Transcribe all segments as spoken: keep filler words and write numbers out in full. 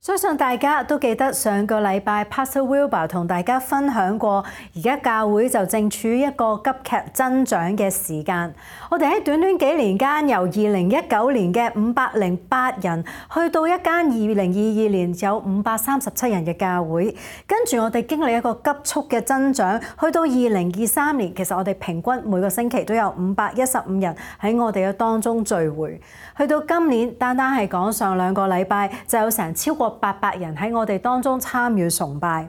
相信大家都記得上個禮拜 Pastor Wilbur 同大家分享過，而家教會就正處於一個急劇增長嘅時間。我哋喺短短幾年間，由二零一九年嘅五百零八人，去到一間二零二二年有五百三十七人嘅教會。跟住我哋經歷一個急速嘅增長，去到二零二三年，其實我哋平均每個星期都有五百一十五人喺我哋嘅當中聚會。去到今年，單單係講上兩個禮拜，就有成超過八百人喺我哋當中參與崇拜。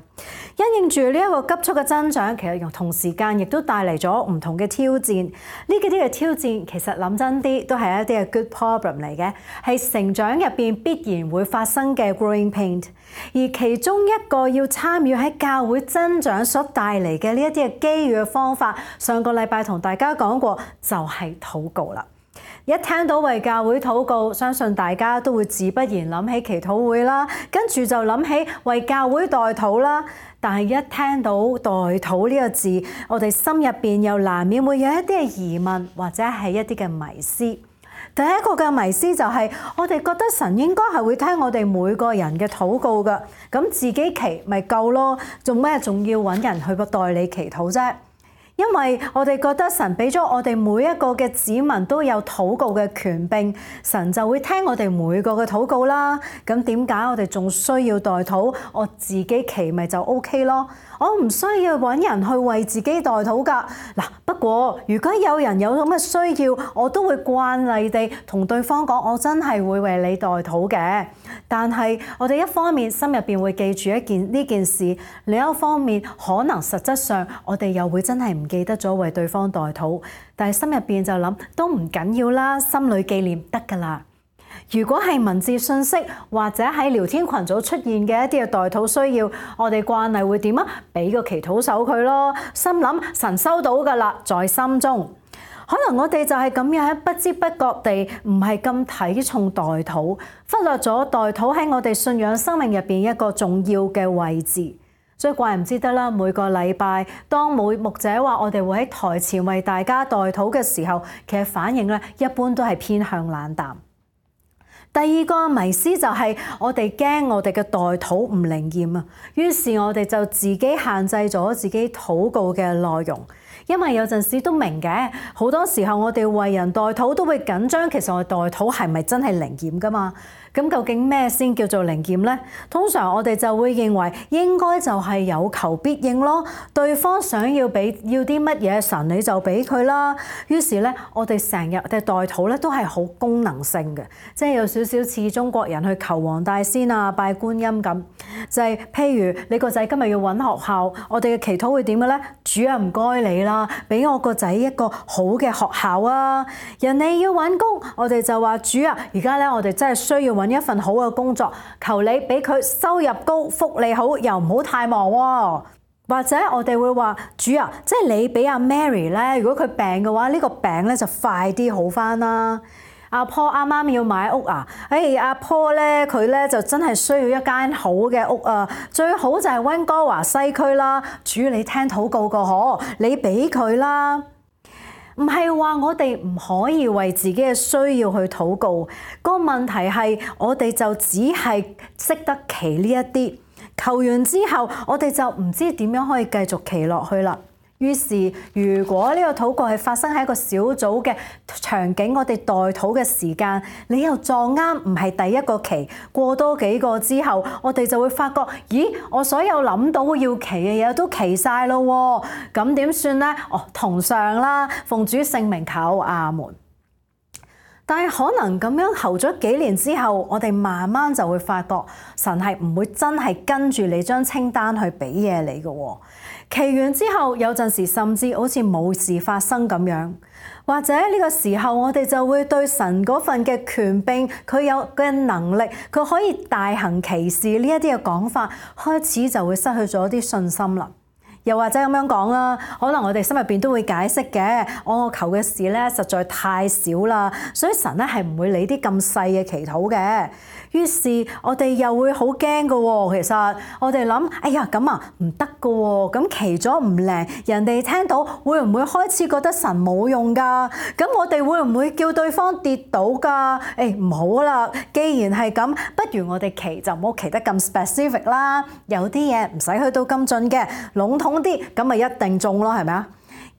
因應住呢一個急速嘅增長，其實同時間亦都帶嚟咗唔同嘅挑戰。呢幾啲嘅挑戰，其實諗真啲都係一啲嘅 good problem 嚟嘅，係成長入邊必然會發生嘅 growing pain。而其中一個要參與喺教會增長所帶嚟嘅呢一啲嘅機遇嘅方法，上個禮拜同大家講過，就係禱告啦。一聽到為教會禱告，相信大家都會自不然諗起祈禱會啦，跟住就諗起為教會代禱啦。但係一聽到代禱呢個字，我哋心入邊又難免會有一啲嘅疑問，或者係一啲嘅迷思。第一個嘅迷思就係我哋覺得神應該係會聽我哋每個人嘅禱告㗎，咁自己祈咪夠咯，做咩仲要揾人去代你祈禱啫？因為我哋覺得神俾咗我哋每一個嘅子民都有禱告嘅權柄，神就會聽我哋每個嘅禱告啦。咁點解我哋仲需要代禱？我自己祈咪就 OK 咯。我唔需要揾人去為自己代禱㗎。嗱，不過如果有人有咁嘅需要，我都會慣例地同對方講，我真係會為你代禱嘅。但係我哋一方面心入邊會記住一件呢件事，另一方面可能實質上我哋又會真係唔記得咗為對方代禱，但係心入邊就諗都唔緊要啦，心裏紀念得㗎啦。如果係文字信息或者喺聊天群組出現嘅一啲嘅代禱需要，我哋慣例會點啊？俾個祈禱手佢咯，心諗神收到㗎啦，在心中。可能我哋就係咁樣喺不知不覺地唔係咁睇重代禱，忽略咗代禱喺我哋信仰生命入邊一個重要嘅位置。所以怪唔知得啦，每個禮拜當每牧者話我哋會喺台前為大家代禱嘅時候，其實反應咧一般都係偏向冷淡。第二個迷思就係我哋驚我哋嘅代禱唔靈驗啊，於是我哋就自己限制咗自己禱告嘅內容。因為有陣時都明嘅，好多時候我哋為人代禱都會緊張，其實我哋代禱係咪真係靈驗㗎嘛？咁究竟咩先叫做靈驗呢？通常我哋就會認為應該就係有求必應咯，對方想要俾要啲乜嘢，神你就俾佢啦。於是咧，我哋成日嘅代禱咧都係好功能性嘅，即係有少少似中國人去求黃大仙啊、拜觀音咁。就係譬如你個仔今日要揾學校，我哋嘅祈禱會點嘅咧？主啊，唔該你啦，俾我個仔一個好嘅學校啊！人哋要揾工，我哋就話主啊，而家咧我哋真係需要揾一份好嘅工作，求你俾佢收入高、福利好，又唔好太忙喎。或者我哋會話主啊，即係你俾阿 Mary 咧，如果佢病嘅話，呢個病咧就快啲好返啦。阿婆啱啱要買屋啊，誒阿婆咧佢咧就真係需要一間好嘅屋啊，最好就係溫哥華西區啦。主你聽禱告個可，你俾佢啦。唔係話我哋唔可以為自己嘅需要去禱告，個問題係我哋就只係識得祈呢一啲，求完之後我哋就唔知點樣可以繼續祈落去啦。於是如果呢個禱告係發生喺一個小組嘅場景，我哋代禱嘅時間，你又撞啱唔係第一個祈，過多幾個之後，我哋就會發覺，咦，我所有諗到要祈嘅嘢都祈晒咯，咁點算呢？哦，同上啦，奉主聖名求，阿門。但係可能咁樣候咗幾年之後，我哋慢慢就會發覺，神係唔會真係跟住你張清單去俾嘢你嘅。祈完之後，有陣時甚至好似冇事發生咁樣，或者呢個時候我哋就會對神嗰份嘅權柄，佢有嘅能力，佢可以大行其事呢一啲嘅講法，開始就會失去咗啲信心啦。又或者咁樣講啦，可能我哋心入邊都會解釋嘅，我求嘅事咧實在太少啦，所以神咧係唔會理啲咁細嘅祈禱嘅。於是我哋又會好驚嘅喎。其實我哋諗，哎呀咁啊唔得嘅喎，咁祈咗唔靈，人哋聽到會唔會開始覺得神冇用㗎？咁我哋會唔會叫對方跌倒㗎？誒唔好啦，既然係咁，不如我哋祈就唔好祈得咁 specific 啦。有啲嘢唔使去到咁盡嘅，籠統啲，咁咪一定中咯，係咪啊？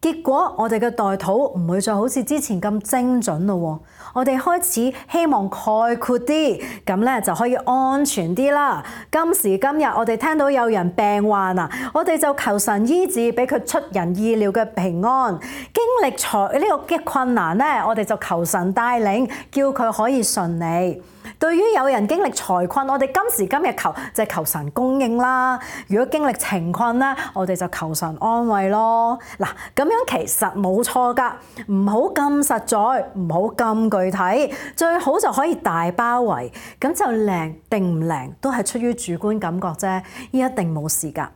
結果我哋嘅代禱唔會再好似之前咁精準咯，我哋開始希望概括啲，咁咧就可以安全啲啦。今時今日我哋聽到有人病患啊，我哋就求神醫治，俾佢出人意料嘅平安。經歷財呢個嘅困難咧，我哋就求神帶領，叫佢可以順利。對於有人經歷財困，我哋今時今日求就係求神供應啦。如果經歷情困咧，我哋就求神安慰咯。嗱，咁樣其實冇錯㗎，唔好咁實在，唔好咁具體，最好就可以大包圍，咁就靈定唔靈都係出於主觀感覺啫，一定冇事㗎。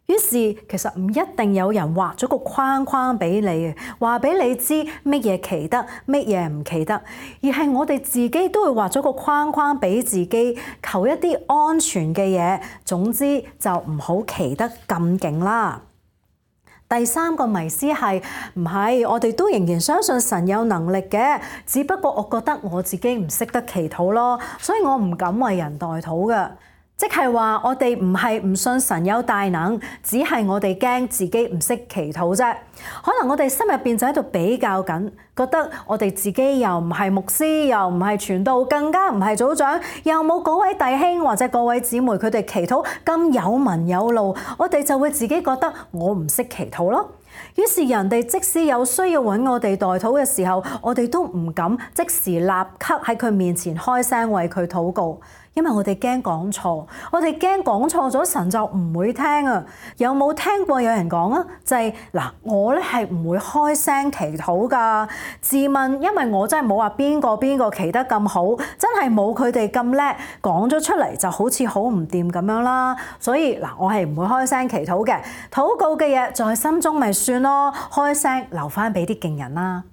於是其實唔一定有人畫咗個框框俾你嘅，話俾你知乜嘢祈得，乜嘢唔祈得，而係我哋自己都會畫咗個框框俾自己，求一啲安全嘅嘢。總之就唔好祈得咁勁啦。第三個迷思係唔係？我哋都仍然相信神有能力嘅，只不過我覺得我自己唔識得祈禱咯，所以我唔敢為人代禱嘅。即係話我哋唔係唔信神有大能，只係我哋驚自己唔識祈禱啫。可能我哋心入邊就喺度比較緊，覺得我哋自己又唔係牧師，又唔係傳道，更加唔係組長，又冇嗰位弟兄或者嗰位姊妹佢哋祈禱咁有文有路，我哋就會自己覺得我唔識祈禱咯。於是人哋即使有需要揾我哋代禱嘅時候，我哋都唔敢即時立刻喺佢面前開聲為佢禱告。因為我哋驚講錯，我哋驚講錯咗神就唔會聽啊！有冇聽過有人講啊？就係嗱，我咧係唔會開聲祈禱㗎。自問，因為我真係冇話邊個邊個祈得咁好，真係冇佢哋咁叻，講咗出嚟就好似好唔掂咁樣啦。所以嗱，我係唔會開聲祈禱嘅，禱告嘅嘢在心中咪算咯，開聲留翻俾啲勁人啦。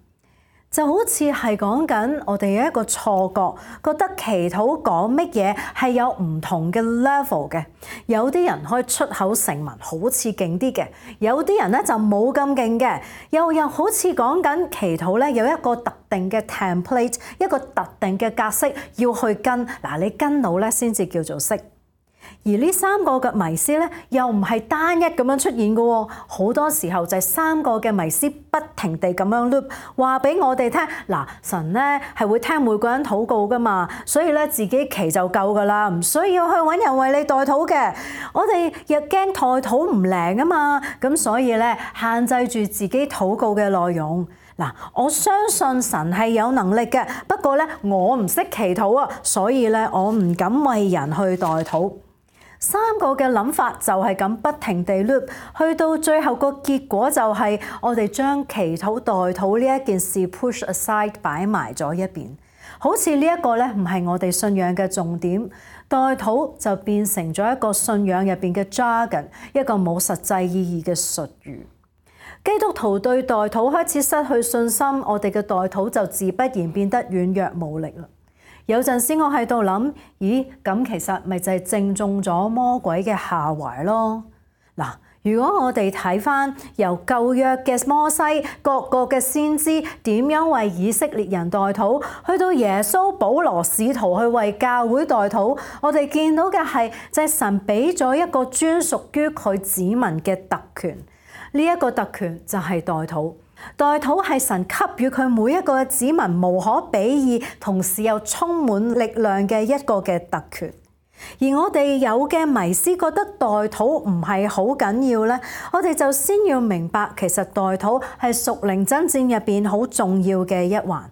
就好似係講緊我哋有一個錯覺，覺得祈禱講乜嘢係有唔同嘅 level 嘅。有啲人可以出口成文，好似勁啲嘅；有啲人咧就冇咁勁嘅。又又好似講緊祈禱咧有一個特定嘅 template， 一個特定嘅格式要去跟。嗱，你跟到咧先至叫做識。而呢三個嘅迷思咧，又唔係單一咁樣出現嘅喎，好多時候就係三個嘅迷思不停地咁樣 loop，話俾我哋聽。嗱，神咧係會聽每個人禱告噶嘛，所以咧自己祈就夠噶啦，唔需要去揾人為你代禱嘅。我哋又驚代禱唔靈啊嘛，咁所以咧限制住自己禱告嘅內容。嗱，我相信神係有能力嘅，不過咧我唔識祈禱啊，所以咧我唔敢為人去代禱。三個嘅諗法就係咁不停地 loop， 去到最後個結果就係我哋將祈禱代禱呢一件事 push aside 擺埋咗一邊，好似呢一個咧唔係我哋信仰嘅重點，代禱就變成咗一個信仰入邊嘅 jargon， 一個冇實際意義嘅術語。基督徒對代禱開始失去信心，我哋嘅代禱就自不然變得軟弱無力啦。有陣時我喺度諗，咦，咁其實咪就係正中咗魔鬼嘅下懷咯。嗱，如果我哋睇返由舊約嘅摩西，各個嘅先知點樣為以色列人代禱，去到耶穌、保羅使徒去為教會代禱，我哋見到嘅係就係神俾咗一個專屬於佢子民嘅特權。呢一個特權就係代禱。代禱係神給予佢每一個子民無可比擬，同時又充滿力量嘅一個嘅特權。而我哋有嘅迷思覺得代禱唔係好緊要咧，我哋就先要明白，其實代禱係屬靈爭戰入邊好重要嘅一環。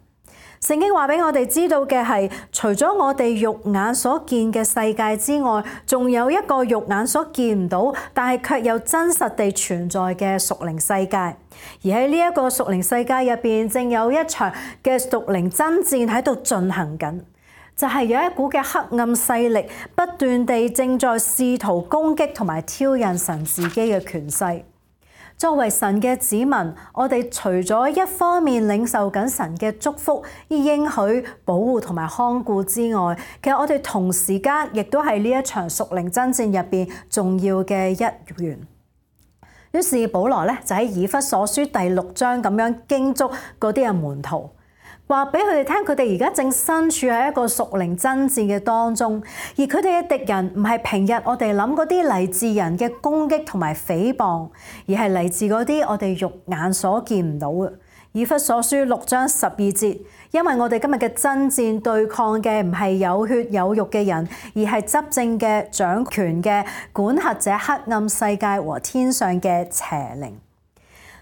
聖經話俾我哋知道嘅係，除咗我哋肉眼所見嘅世界之外，仲有一個肉眼所見唔到，但係卻有真實地存在嘅屬靈世界。而喺呢一個屬靈世界入邊，正有一場嘅屬靈爭戰喺度進行緊，就係有一股嘅黑暗勢力不斷地正在試圖攻擊同埋挑釁神自己嘅權勢。作為神嘅子民，我哋除咗一方面領受緊神嘅祝福、應許、保護同埋看顧之外，其實我哋同時間亦都係呢一場屬靈爭戰入邊重要嘅一員。於是保羅咧就喺以弗所書第六章咁樣叮囑嗰啲嘅門徒，話俾佢哋聽，佢哋而家正身處喺一個屬靈爭戰嘅當中，而佢哋嘅敵人唔係平日我哋諗嗰啲嚟自人嘅攻擊同埋誹謗，而係嚟自嗰啲我哋肉眼所見唔到嘅。以弗所書六章十二節，因為我哋今日嘅爭戰對抗嘅唔係有血有肉嘅人，而係執政嘅、掌權嘅、管轄者黑暗世界和天上嘅邪靈。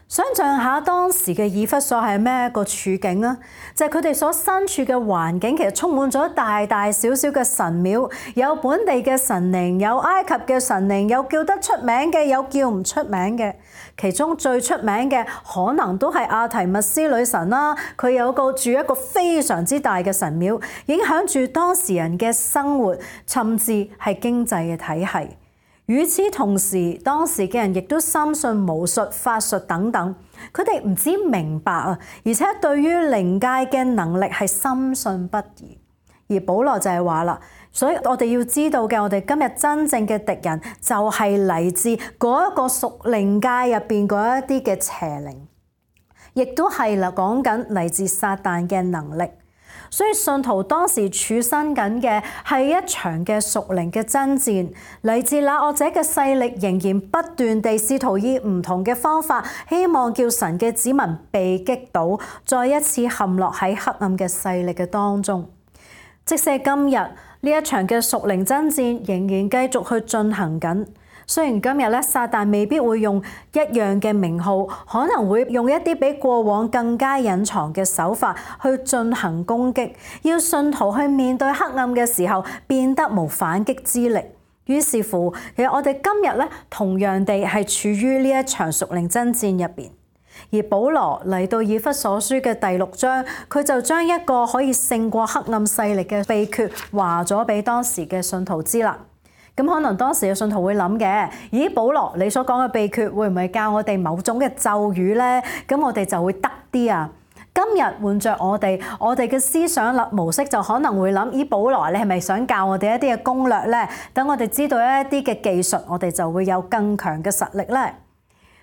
想像下當時嘅以弗所係咩一個處境啊？就係佢哋所身處嘅環境，其實充滿咗大大小小嘅神廟，有本地嘅神靈，有埃及嘅神靈，有叫得出名嘅，有叫唔出名嘅。其中最出名嘅可能都係阿提密斯女神啦，佢有個住一個非常之大嘅神廟，影響住當時人嘅生活，甚至係經濟嘅體系。與此同時，當時嘅人亦都深信巫術、法術等等，佢哋唔止明白啊，而且對於靈界嘅能力係深信不疑。而保羅就係話啦，所以我哋要知道嘅，我哋今日真正嘅敵人就係嚟自嗰一個屬靈界入邊嗰一啲嘅邪靈，亦都係啦講緊嚟自撒旦嘅能力。所以信徒當時處身緊嘅係一場嘅屬靈嘅爭戰，嚟自那惡者嘅勢力仍然不斷地試圖以唔同嘅方法，希望叫神嘅子民被擊倒，再一次陷落喺黑暗嘅勢力嘅當中。即使今日呢一場嘅屬靈爭戰仍然繼續去進行緊。雖然今日咧，撒旦未必會用一樣嘅名號，可能會用一啲比過往更加隱藏嘅手法去進行攻擊，要信徒去面對黑暗嘅時候變得無反擊之力。於是乎，其實我哋今日咧同樣地係處於呢一場屬靈爭戰入邊。而保羅嚟到以弗所書嘅第六章，佢就將一個可以勝過黑暗勢力嘅秘訣話咗俾當時嘅信徒知啦。咁可能當時嘅信徒會諗嘅，咦，保羅你所講嘅秘訣會唔會教我哋某種嘅咒語呢？咁我哋就會得啲啊！今日換着我哋，我哋嘅思想立模式就可能會諗，咦，保羅你係咪想教我哋一啲嘅攻略呢？等我哋知道一啲嘅技術，我哋就會有更強嘅實力呢。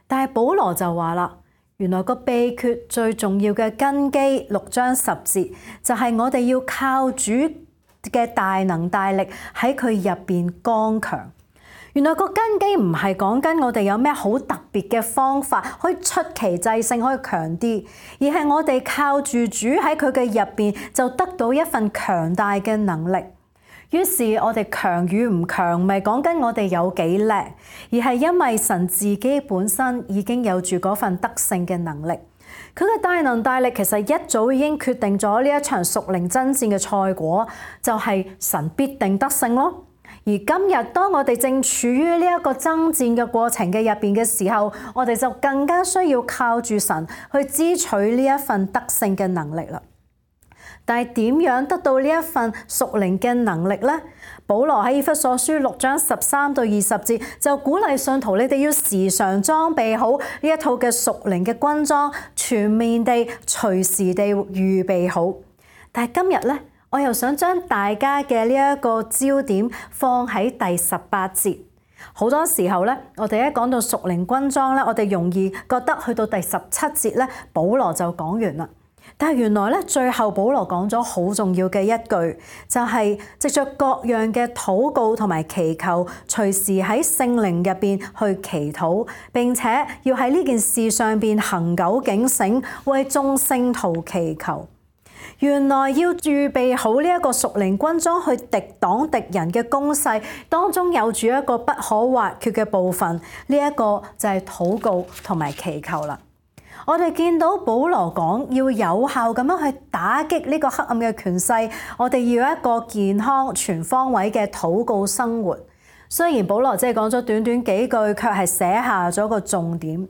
但係保羅就話啦，原來個秘訣最重要嘅根基，六章十節就係我哋要靠主嘅大能大力喺佢入邊剛強。原來個根基唔係講緊我哋有咩好特別嘅方法可以出奇制勝，可以強啲，而係我哋靠住主喺佢嘅入邊就得到一份強大嘅能力。於是我哋強與唔強，唔係講緊我哋有幾叻，而係因為神自己本身已經有住嗰份得勝嘅能力。佢嘅大能大力其實一早已經決定咗呢一場屬靈爭戰嘅賽果，就係神必定得勝咯。而今日當我哋正處於呢一個爭戰嘅過程嘅入邊嘅時候，我哋就更加需要靠住神去支取呢一份得勝嘅能力啦。但係點樣得到呢一份屬靈嘅能力呢？保羅喺以弗所書六章十三到二十節就鼓勵信徒，你哋要時常裝備好呢一套嘅屬靈嘅軍裝，全面地、隨時地預備好。但係今日咧，我又想將大家嘅呢一個焦點放喺第十八節。好多時候咧，我哋一講到屬靈軍裝咧，我哋容易覺得去到第十七節咧，保羅就講完啦。但係原來咧，最後保羅講咗好重要嘅一句，就係藉着各樣嘅禱告同埋祈求，隨時喺聖靈入邊去祈禱，並且要喺呢件事上邊恆久警醒，為眾聖徒祈求。原來要預備好呢一個屬靈軍裝去敵擋敵人嘅攻勢，當中有住一個不可或缺嘅部分，呢一個就係禱告同埋祈求啦。我哋見到保羅講要有效咁樣去打擊呢個黑暗嘅權勢，我哋要有一個健康全方位嘅禱告生活。雖然保羅只係講咗短短幾句，卻係寫下咗個重點。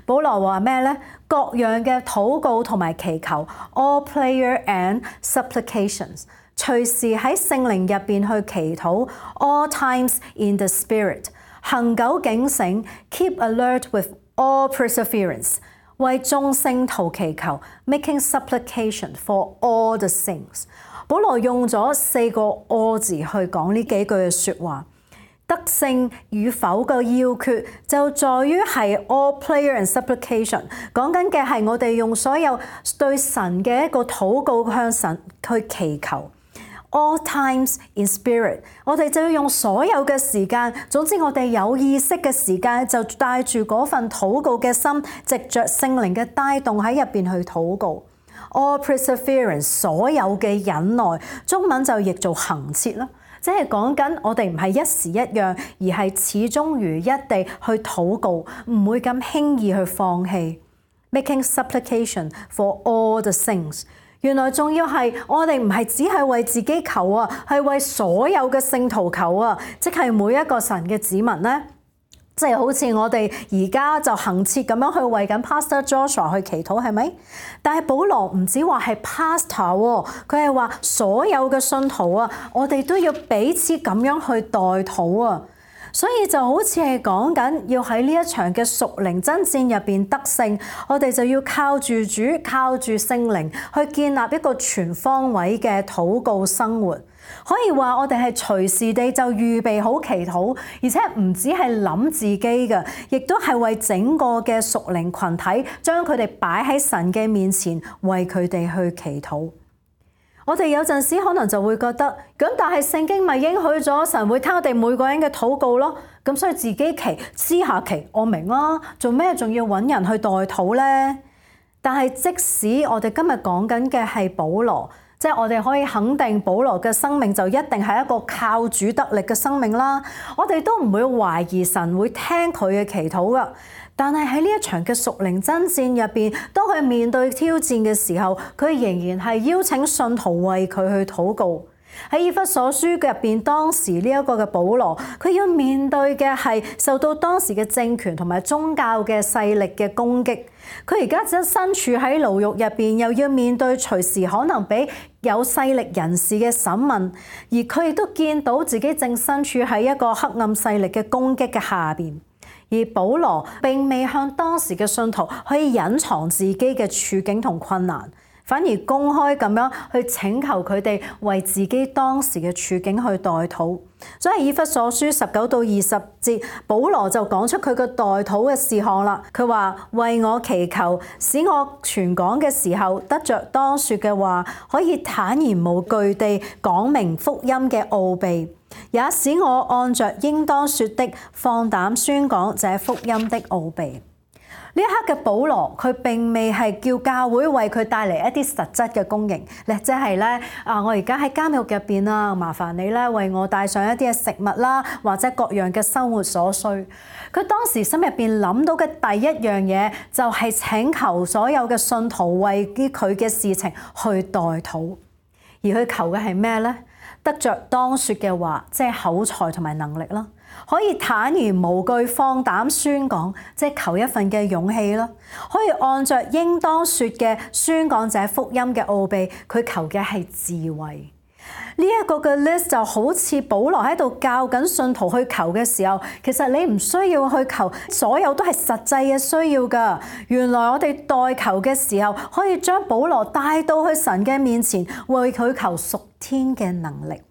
保羅話咩呢？各樣嘅禱告同埋祈求 ，all prayer and supplications， 隨時喺聖靈入邊去祈禱 ，all times in the spirit， 恆久警醒 ，keep alert with all perseverance， 為眾聖徒祈求 ，making supplication for all the saints。保羅用咗四個 all 字去講呢幾句嘅説話。得勝與否嘅要訣就在於係 all prayer and supplication， 講緊嘅係我哋用所有對神嘅一個禱告向神去祈求。all times in spirit， 我哋就要用所有嘅時間，總之我哋有意識嘅時間就帶住嗰份禱告嘅心，藉着聖靈嘅帶動喺入邊去禱告。all perseverance， 所有嘅忍耐，中文就譯做恆切啦。即係講緊我哋唔係一時一樣，而係始終如一地去禱告，唔會咁輕易去放棄。Making supplication for all the saints， 原來仲要係我哋唔係只係為自己求啊，係為所有嘅聖徒求啊，即係每一個神嘅子民咧。即係好似我哋而家就恆切咁樣去為緊 Pastor Joshua 去祈禱，係咪？但係保羅唔止話係 Pastor 喎，佢係話所有嘅信徒啊，我哋都要彼此咁樣去代禱啊。所以就好似係講緊要喺呢一場嘅屬靈爭戰入邊得勝，我哋就要靠住主，靠住聖靈去建立一個全方位嘅禱告生活。可以話我哋係隨時地就預備好祈禱，而且唔止係諗自己嘅，亦都係為整個嘅屬靈群體，將佢哋擺喺神嘅面前，為佢哋去祈禱。我哋有陣時可能就會覺得，咁但係聖經咪應許咗神會聽我哋每個人嘅禱告咯，咁所以自己祈私下祈，我明啦，做咩仲要揾人去代禱呢？但係即使我哋今日講緊嘅係保羅。即係我哋可以肯定保羅嘅生命就一定係一個靠主得力嘅生命啦。我哋都唔會懷疑神會聽佢嘅祈禱噶。但係喺呢一場嘅屬靈爭戰入邊，當佢面對挑戰嘅時候，佢仍然係邀請信徒為佢去禱告。喺以弗所書入邊，當時呢一個嘅保羅，佢要面對嘅係受到當時嘅政權同埋宗教嘅勢力嘅攻擊。佢而家只身處喺牢獄入邊，又要面對隨時可能俾有勢力人士嘅審問，而佢亦都見到自己正身處喺一個黑暗勢力嘅攻擊嘅下邊。而保羅並未向當時嘅信徒可以隱藏自己嘅處境同困難，反而公開咁樣去請求佢哋為自己當時嘅處境去代禱。所以以弗所書十九到二十節，保羅就講出佢個代禱嘅事項啦。佢話：為我祈求，使我傳講嘅時候得着當說嘅話，可以坦然無懼地講明福音嘅奧秘，也使我按着應當說的放膽宣講這福音的奧秘。呢一刻嘅保羅，佢並未係叫教會為佢帶嚟一啲實質嘅供應，咧即係咧啊！我而家喺監獄入邊啊，麻煩你咧為我帶上一啲嘅食物啦，或者各樣嘅生活所需。佢當時心入邊諗到嘅第一樣嘢，就係請求所有嘅信徒為啲佢嘅事情去代禱，而佢求嘅係咩咧？得着當說嘅話，即係口才同埋能力啦。可以坦然無懼放膽宣講，即係求一份嘅勇氣啦。可以按着應當說嘅宣講者福音嘅奧秘，佢求嘅係智慧。呢一個嘅 list 就好似保羅喺度教緊信徒去求嘅時候，其實你唔需要去求所有都係實際嘅需要㗎。原來我哋代求嘅時候，可以將保羅帶到去神嘅面前，為佢求屬天嘅能力。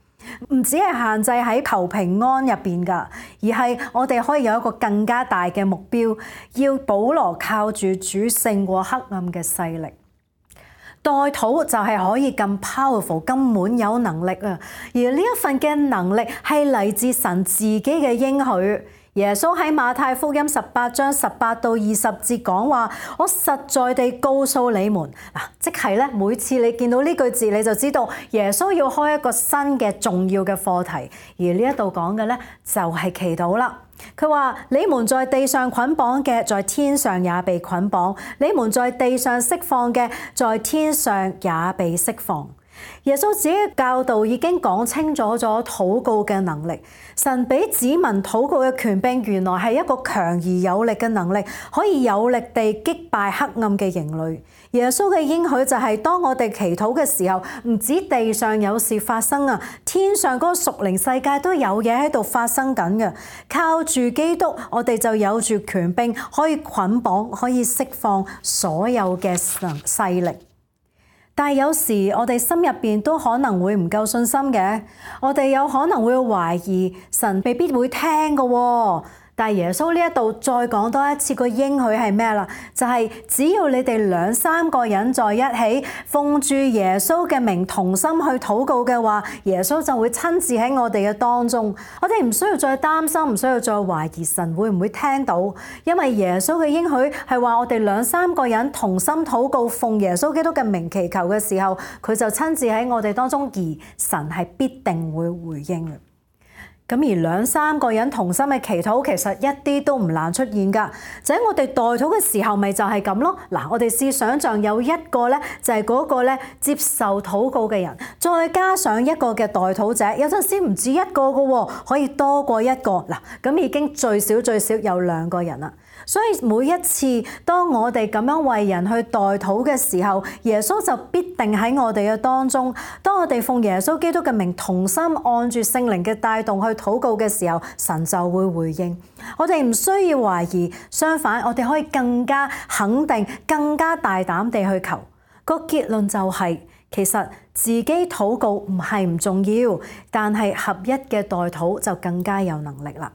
唔只係限制喺求平安入邊㗎，而係我哋可以有一個更加大嘅目標，要保羅靠住主勝過黑暗嘅勢力。代禱就係可以咁 powerful， 咁滿有能力啊！而呢一份嘅能力係嚟自神自己嘅應許。耶穌喺馬太福音十八章十八到二十節講話：我實在地告訴你們，嗱，即係咧，每次你見到呢句字，你就知道耶穌要開一個新嘅重要嘅課題。而呢一度講嘅咧，就係祈禱啦。佢話：你們在地上捆綁嘅，在天上也被捆綁；你們在地上釋放嘅，在天上也被釋放。耶穌自己嘅教導已經講清楚咗禱告嘅能力。神俾子民禱告嘅權柄，原來係一個強而有力嘅能力，可以有力地擊敗黑暗嘅營壘。耶穌嘅應許就係當我哋祈禱嘅時候，唔止地上有事發生啊，天上嗰個屬靈世界都有嘢喺度發生緊嘅。靠住基督，我哋就有住權柄，可以捆綁，可以釋放所有嘅勢力。但係有時我哋心入邊都可能會唔夠信心嘅，我哋有可能會懷疑神未必會聽嘅喎。但係耶穌呢一度再講多一次個應許係咩啦？就係只要你哋兩三個人在一起，奉住耶穌嘅名同心去禱告嘅話，耶穌就會親自喺我哋嘅當中。我哋唔需要再擔心，唔需要再懷疑神會唔會聽到，因為耶穌嘅應許係話我哋兩三個人同心禱告，奉耶穌基督嘅名祈求嘅時候，佢就親自喺我哋當中，而神係必定會回應嘅。咁而兩三個人同心嘅祈禱其實一啲都唔難出現㗎，就喺我哋代禱嘅時候，咪就係咁咯。嗱，我哋試想像有一個咧，就係嗰個咧接受禱告嘅人，再加上一個嘅代禱者，有陣時唔止一個㗎喎，可以多過一個。嗱，咁已經最少最少有兩個人啦。所以每一次當我哋咁樣為人去代禱嘅時候，耶穌就必定喺我哋嘅當中。當我哋奉耶穌基督嘅名同心按住聖靈嘅帶動去禱告嘅時候，神就會回應。我哋唔需要懷疑，相反我哋可以更加肯定、更加大膽地去求。個結論就係，其實自己禱告唔係唔重要，但係合一嘅代禱就更加有能力啦。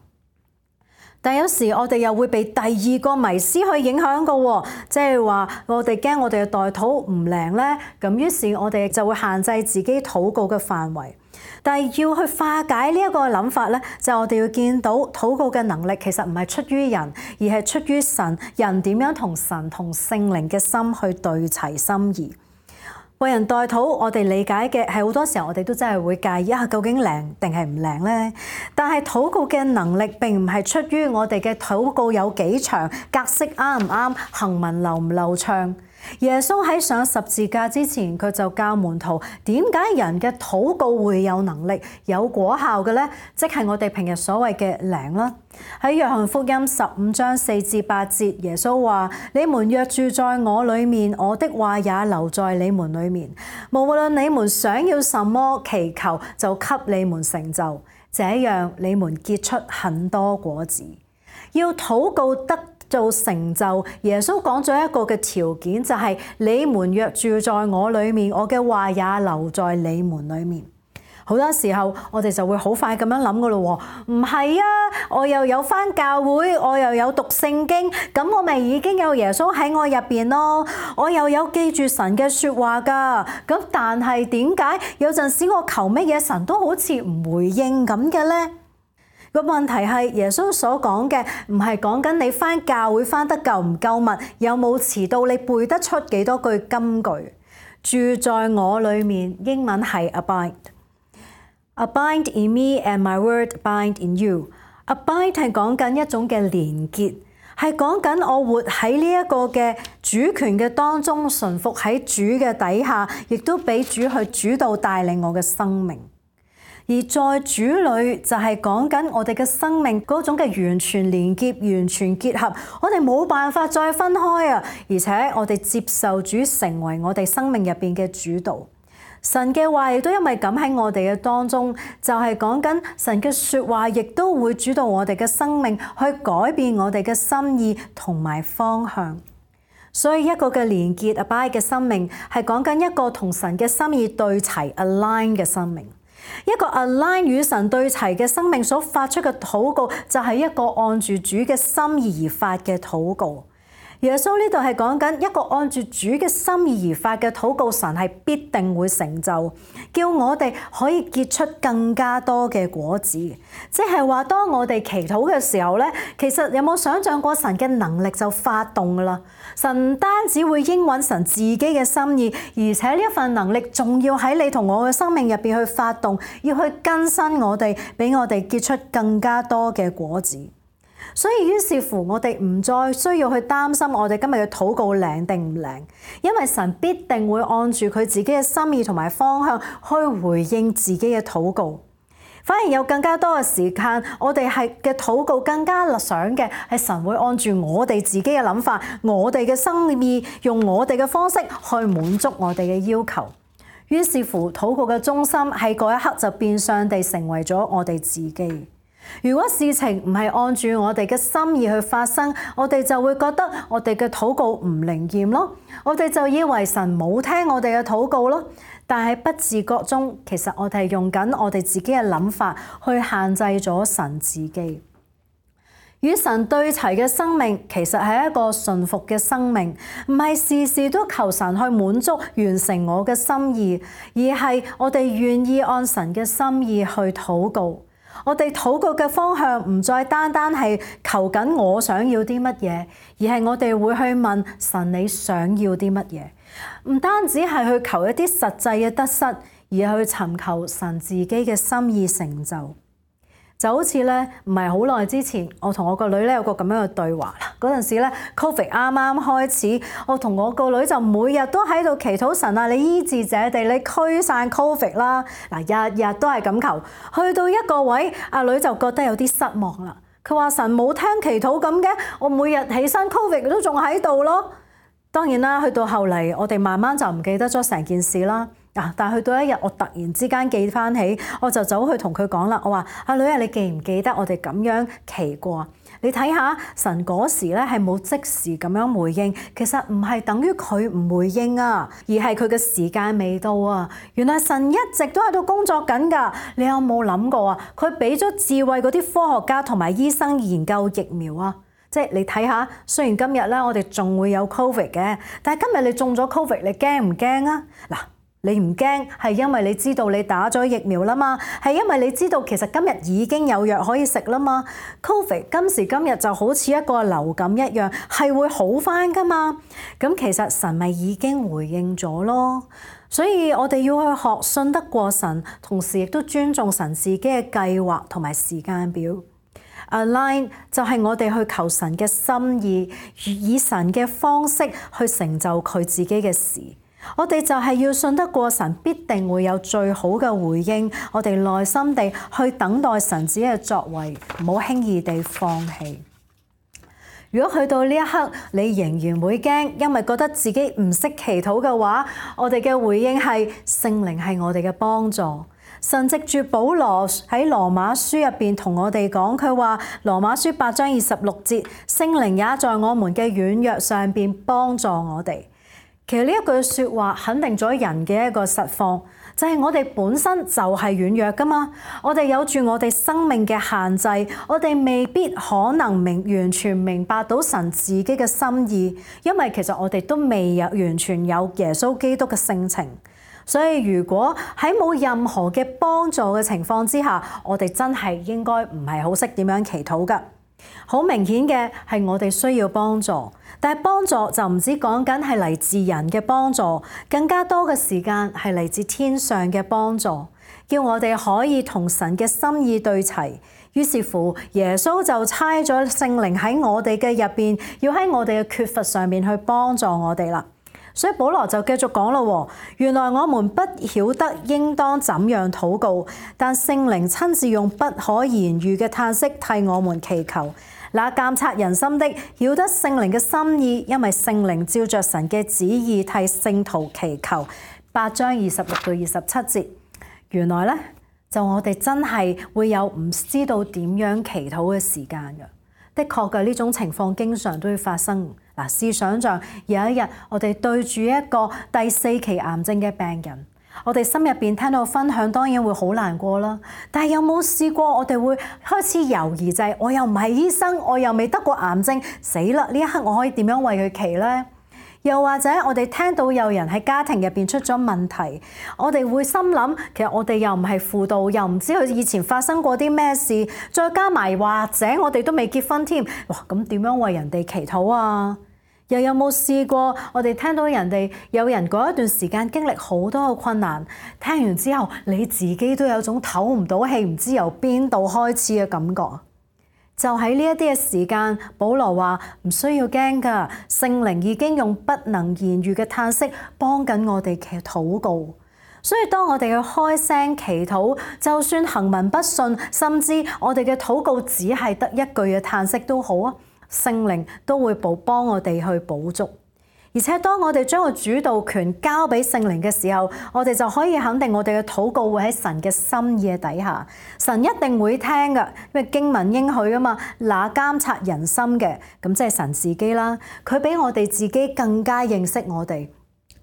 但有時我哋又會被第二個迷思去影響嘅喎，即係話我哋驚我哋嘅代禱唔靈咧，咁於是我哋就會限制自己禱告嘅範圍。但係要去化解呢一個諗法咧，就係我哋要見到禱告嘅能力其實唔係出於人，而係出於神。人點樣同神同聖靈嘅心去對齊心意。為人代禱，我哋理解嘅係好多時候我哋都真係會介意啊，究竟靈定係唔靈呢？但係禱告嘅能力並唔係出於我哋嘅禱告有幾長，格式啱唔啱，行文流唔流暢。耶穌喺上十字架之前，佢就教門徒點解人嘅禱告會有能力、有果效嘅呢？即係我哋平日所謂嘅靈啦。喺約翰福音十五章四至八節，耶穌話：你們若住在我裡面，我的話也留在你們裡面。無論你們想要什麼祈求，就給你們成就，這樣你們結出很多果子。要禱告得做成就，耶穌講咗一個嘅條件，就係你們若住在我裡面，我嘅話也留在你們裡面。好多時候我哋就會好快咁樣諗噶咯喎，唔係啊，我又有返教會，我又有讀聖經，咁我咪已經有耶穌喺我入邊咯，我又有記住神嘅説話噶，咁但係點解有陣時我求乜嘢神都好似唔回應咁嘅呢？個問題係耶穌所講嘅唔係講緊你返教會返得夠唔夠密，有冇遲到，你背得出幾多句金句。住在我裡面，英文係 abide。Abide in me and my word abide in you。Abide 係講緊一種嘅連結，係講緊我活喺呢一個嘅主權嘅當中，順服喺主嘅底下，亦都俾主去主導帶領我嘅生命。而在主裏就係講緊我哋嘅生命嗰種嘅完全連結、完全結合，我哋冇辦法再分開啊！而且我哋接受主成為我哋生命入邊嘅主導。神嘅話亦都因為咁喺我哋嘅當中，就係講緊神嘅説話，亦都會主導我哋嘅生命，去改變我哋嘅心意同埋方向。所以一個嘅連結 abide 嘅生命，係講緊一個同神嘅心意對齊 align 嘅生命。一個 align 與神對齊嘅生命所發出嘅禱告，就係一個按住主嘅心意而發嘅禱告。耶穌呢度係講緊一個按住主嘅心意而發嘅禱告，神係必定會成就，叫我哋可以結出更加多嘅果子。即係話，當我哋祈禱嘅時候咧，其實有冇想象過神嘅能力就發動㗎啦？神唔單止會應允神自己嘅心意，而且呢一份能力仲要喺你同我嘅生命入邊去發動，要去更新我哋，俾我哋結出更加多嘅果子。所以於是乎，我哋唔再需要去擔心我哋今日嘅禱告靈定唔靈，因為神必定會按住佢自己嘅心意同埋方向去回應自己嘅禱告。反而有更加多嘅時間，我哋係嘅禱告更加想嘅係神會按住我哋自己嘅諗法，我哋嘅心意，用我哋嘅方式去滿足我哋嘅要求。於是乎，禱告嘅中心喺嗰一刻就變相地成為咗我哋自己。如果事情唔係按住我哋嘅心意去發生，我哋就會覺得我哋嘅禱告唔靈驗咯，我哋就以為神冇聽我哋嘅禱告咯。但係不自覺中，其實我哋係用緊我哋自己嘅諗法去限制咗神自己。與神對齊嘅生命，其實係一個順服嘅生命，唔係事事都求神去滿足完成我嘅心意，而係我哋願意按神嘅心意去禱告。我哋禱告嘅方向唔再單單係求緊我想要啲乜嘢，而係我哋會去問神你想要啲乜嘢，唔單止係去求一啲實際嘅得失，而係去尋求神自己嘅心意成就。就好似咧，唔係好耐之前，我同我個女咧有個咁樣嘅對話啦。嗰陣時咧，Covid 啱啱開始，我同我個女就每日都喺度祈禱神啊，你醫治這地，你驅散 Covid 啦。嗱，日日都係咁求，去到一個位，阿女就覺得有啲失望啦。佢話神冇聽祈禱咁嘅，我每日起身 Covid 都仲喺度咯。當然啦，去到後嚟，我哋慢慢就唔記得咗成件事啦。啊！但係去到一日，我突然之間記翻起，我就走去同佢講啦。我話：阿女啊，你記唔記得我哋咁樣祈過？你睇下神嗰時咧係冇即時咁樣回應，其實唔係等於佢唔回應啊，而係佢嘅時間未到啊。原來神一直都喺度工作緊㗎。你有冇諗過啊？佢俾咗智慧嗰啲科學家同埋醫生研究疫苗啊！即係你睇下，雖然今日咧我哋仲會有 Covid 嘅，但係今日你中咗 Covid，你驚唔驚啊？嗱。你唔驚係因為你知道你打咗疫苗啦嘛，係因為你知道其實今日已經有藥可以食啦嘛。Covid 今時今日就好似一個流感一樣，係會好返㗎嘛。咁其實神咪已經回應咗咯。所以我哋要去學信得過神，同時亦都尊重神自己嘅計劃同埋時間表。Align 就係我哋去求神嘅心意，以神嘅方式去成就佢自己嘅事。我哋就係要信得過神，必定會有最好嘅回應。我哋耐心地去等待神自己嘅作為，唔好輕易地放棄。如果去到呢一刻，你仍然會驚，因為覺得自己唔識祈禱嘅話，我哋嘅回應係聖靈係我哋嘅幫助。神藉住保羅喺羅馬書入邊同我哋講，佢話羅馬書八章二十六節，聖靈也在我們嘅軟弱上邊幫助我哋。其實呢一句説話肯定咗人嘅一個實況，就係我哋本身就係軟弱噶嘛，我哋有住我哋生命嘅限制，我哋未必可能明完全明白到神自己嘅心意，因為其實我哋都未有完全有耶穌基督嘅性情。所以如果喺冇任何嘅幫助嘅情況之下，我哋真係應該唔係好識點樣祈禱噶。好明顯嘅係我哋需要幫助，但係幫助就唔止講緊係嚟自人嘅幫助，更加多嘅時間係嚟自天上嘅幫助，叫我哋可以同神嘅心意對齊。於是乎，耶穌就差咗聖靈喺我哋嘅入邊，要喺我哋嘅缺乏上面去幫助我哋啦。所以保羅就繼續講咯，原來我們不曉得應當怎樣禱告，但聖靈親自用不可言喻嘅嘆息替我們祈求。那監察人心的曉得聖靈嘅心意，因為聖靈照着神嘅旨意替聖徒祈求。八章二十六到二十七節，原來咧就我哋真係會有唔知道點樣祈禱嘅時間嘅。的確嘅呢種情況經常都會發生。嗱，試想像有一日我哋對住一個第四期癌症嘅病人，我哋心入邊聽到分享，當然會好難過啦。但係有冇試過我哋會開始猶豫，就係我又唔係醫生，我又未得過癌症，死啦！呢一刻我可以點樣為佢祈呢？又或者我哋聽到有人喺家庭入邊出咗問題，我哋會心諗，其實我哋又唔係輔導，又唔知佢以前發生過啲咩事，再加埋或者我哋都未結婚添，哇！咁點樣為人哋祈禱啊？又有冇試過我哋聽到人哋有人嗰一段時間經歷好多嘅困難，聽完之後你自己都有種唞唔到氣，唔知由邊度開始嘅感覺？就喺呢一啲嘅時間，保羅話唔需要驚㗎，聖靈已經用不能言喻嘅嘆息幫緊我哋嘅禱告。所以當我哋去開聲祈禱，就算行文不順，甚至我哋嘅禱告只係得一句嘅嘆息都好啊，聖靈都會補幫我哋去補足。而且當我哋將個主導權交俾聖靈嘅時候，我哋就可以肯定我哋嘅禱告會喺神嘅心意嘅底下，神一定會聽㗎，因為經文應許啊嘛，那監察人心嘅，咁即係神自己啦，佢比我哋自己更加認識我哋。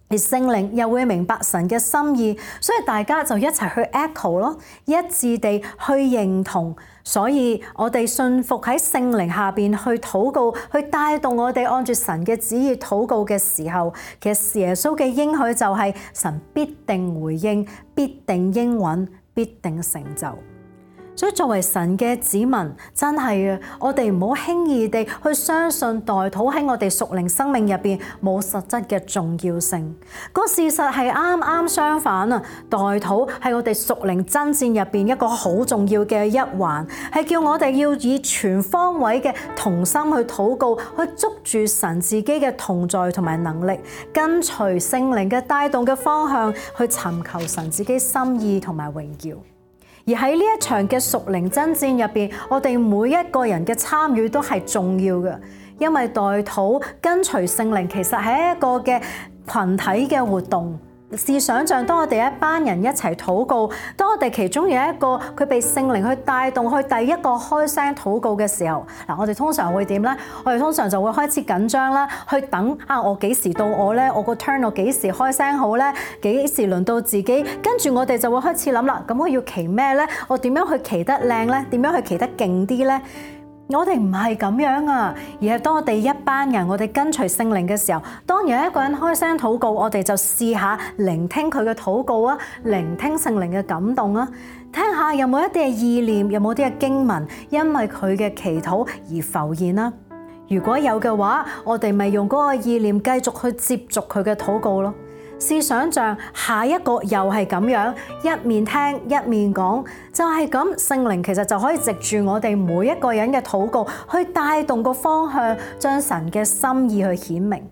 而聖靈又會明白神嘅心意，所以大家就一齊去 echo 咯，一致地去認同。所以我哋信服喺聖靈下邊去禱告，去帶動我哋按住神嘅旨意禱告嘅時候，其實耶穌嘅應許就係神必定回應，必定應允，必定成就。所以作為神嘅子民，真係啊，我哋唔好輕易地去相信代禱喺我哋屬靈生命入邊冇實質嘅重要性。個事實係啱啱相反啊！代禱係我哋屬靈爭戰入邊一個好重要嘅一環，係叫我哋要以全方位嘅同心去禱告，去捉住神自己嘅同在同埋能力，跟隨聖靈嘅帶動嘅方向去尋求神自己心意同埋榮耀。而喺呢一場嘅屬靈爭戰入邊，我哋每一個人嘅參與都係重要嘅，因為代禱跟隨聖靈其實係一個嘅群體嘅活動。試想像，當我哋一班人一齊禱告，當我哋其中有一個佢被聖靈去帶動去第一個開聲禱告嘅時候，嗱，我哋通常會點咧？我哋通常就會開始緊張啦，去等啊，我幾時到我咧？我個 turn 我幾時開聲好咧？幾時輪到自己？跟住我哋就會開始諗啦，咁我要祈咩咧？我點樣去祈得靚咧？點樣去祈得勁啲咧？我哋唔係咁樣啊，而係當我哋一班人，我哋跟隨聖靈嘅時候，當有一個人開聲禱告，我哋就試下聆聽佢嘅禱告啊，聆聽聖靈嘅感動啊，聽下有冇一啲嘅意念，有冇啲嘅經文，因為佢嘅祈禱而浮現啦。如果有嘅話，我哋咪用嗰個意念繼續去接續佢嘅禱告咯。試想像下一個又係咁樣，一面聽一面講，就係咁，聖靈其實就可以藉住我哋每一個人嘅禱告，去帶動個方向，將神嘅心意去顯明。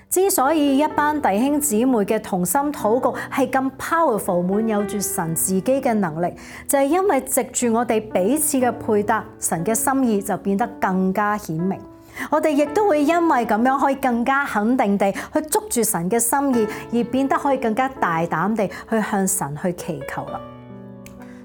之所以一班弟兄姊妹嘅同心禱告係咁 powerful， 滿有住神自己嘅能力，就係因為藉住我哋彼此嘅配搭，神嘅心意就變得更加顯明。我哋亦都會因為咁樣可以更加肯定地去捉住神嘅心意，而變得可以更加大膽地去向神去祈求啦。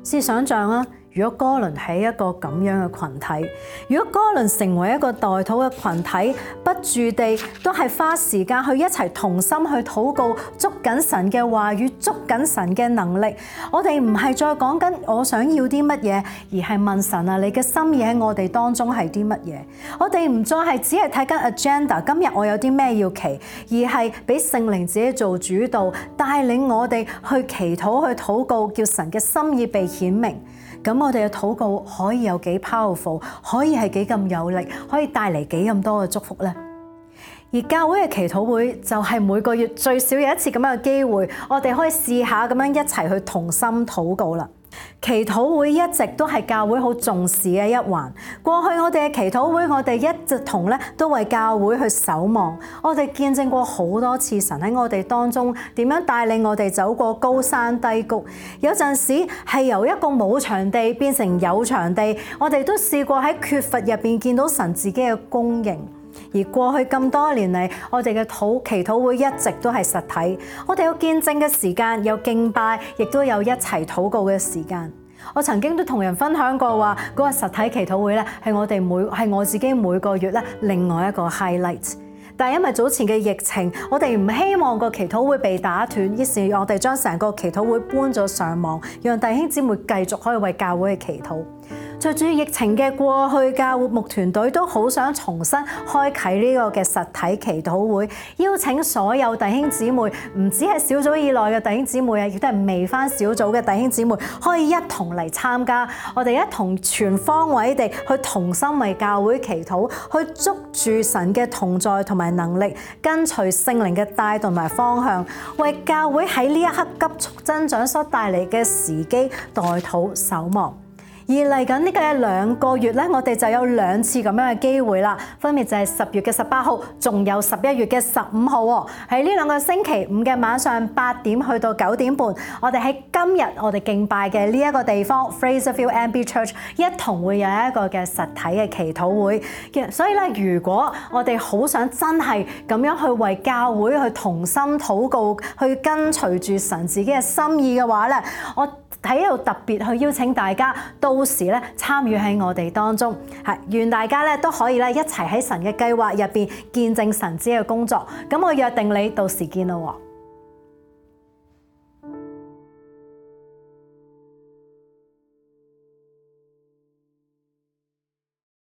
試想像啊，如果哥倫係一個咁樣嘅群體，如果哥倫成為一個代禱嘅群體，不住地都係花時間去一齊同心去禱告，捉緊神嘅話語，捉緊神嘅能力。我哋唔係再講緊我想要啲乜嘢，而係問神啊，你嘅心意喺我哋當中係啲乜嘢？我哋唔再係只係睇緊 agenda， 今日我有啲咩要祈，而係俾聖靈自己做主導，帶領我哋去祈禱去禱告，叫神嘅心意被顯明。咁我哋嘅禱告可以有幾 powerful， 可以係幾咁有力，可以帶嚟幾咁多嘅祝福呢？而教會嘅祈禱會就係每個月最少有一次咁樣嘅機會，我哋可以試下咁樣一齊去同心禱告啦。祈禱會一直都係教會好重視嘅一環。過去我哋嘅祈禱會，我哋一直同咧都為教會去守望。我哋見證過好多次神喺我哋當中點樣帶領我哋走過高山低谷。有陣時係由一個冇場地變成有場地，我哋都試過喺缺乏入邊見到神自己嘅供應。而過去咁多年嚟，我哋嘅禱祈禱會一直都係實體，我哋有見證嘅時間，有敬拜，亦都有一齊禱告嘅時間。我曾經都同人分享過話，嗰個實體祈禱會咧係我哋每係我自己每個月咧另外一個 highlight。但係因為早前嘅疫情，我哋唔希望個祈禱會被打斷，於是我哋將成個祈禱會搬咗上網，讓弟兄姊妹繼續可以為教會去祈禱。隨住疫情嘅過去，教會牧團隊都好想重新開啟呢個嘅實體祈禱會，邀請所有弟兄姊妹，唔止係小組以內嘅弟兄姊妹啊，亦都係未返小組嘅弟兄姊妹，可以一同嚟參加。我哋一同全方位地去同心為教會祈禱，去捉住神嘅同在同埋能力，跟隨聖靈嘅帶動埋方向，為教會喺呢一刻急速增長所帶嚟嘅時機代禱守望。而而嚟緊呢個兩個月咧，我哋就有兩次咁樣嘅機會啦，分別就係十月嘅十八號，仲有十一月嘅十五號喎。喺呢兩個星期五嘅晚上八點去到九點半，我哋喺今日我哋敬拜嘅呢一個地方 Fraserville M B Church 一同會有一個嘅實體嘅祈禱會。所以咧，如果我哋好想真係咁樣去為教會去同心禱告，去跟隨住神自己嘅心意嘅話咧，我喺度特別去邀請大家到時咧參與喺我哋當中，係願大家咧都可以咧一齊喺神嘅計劃入邊見證神子嘅工作。咁我約定你到時見啦喎。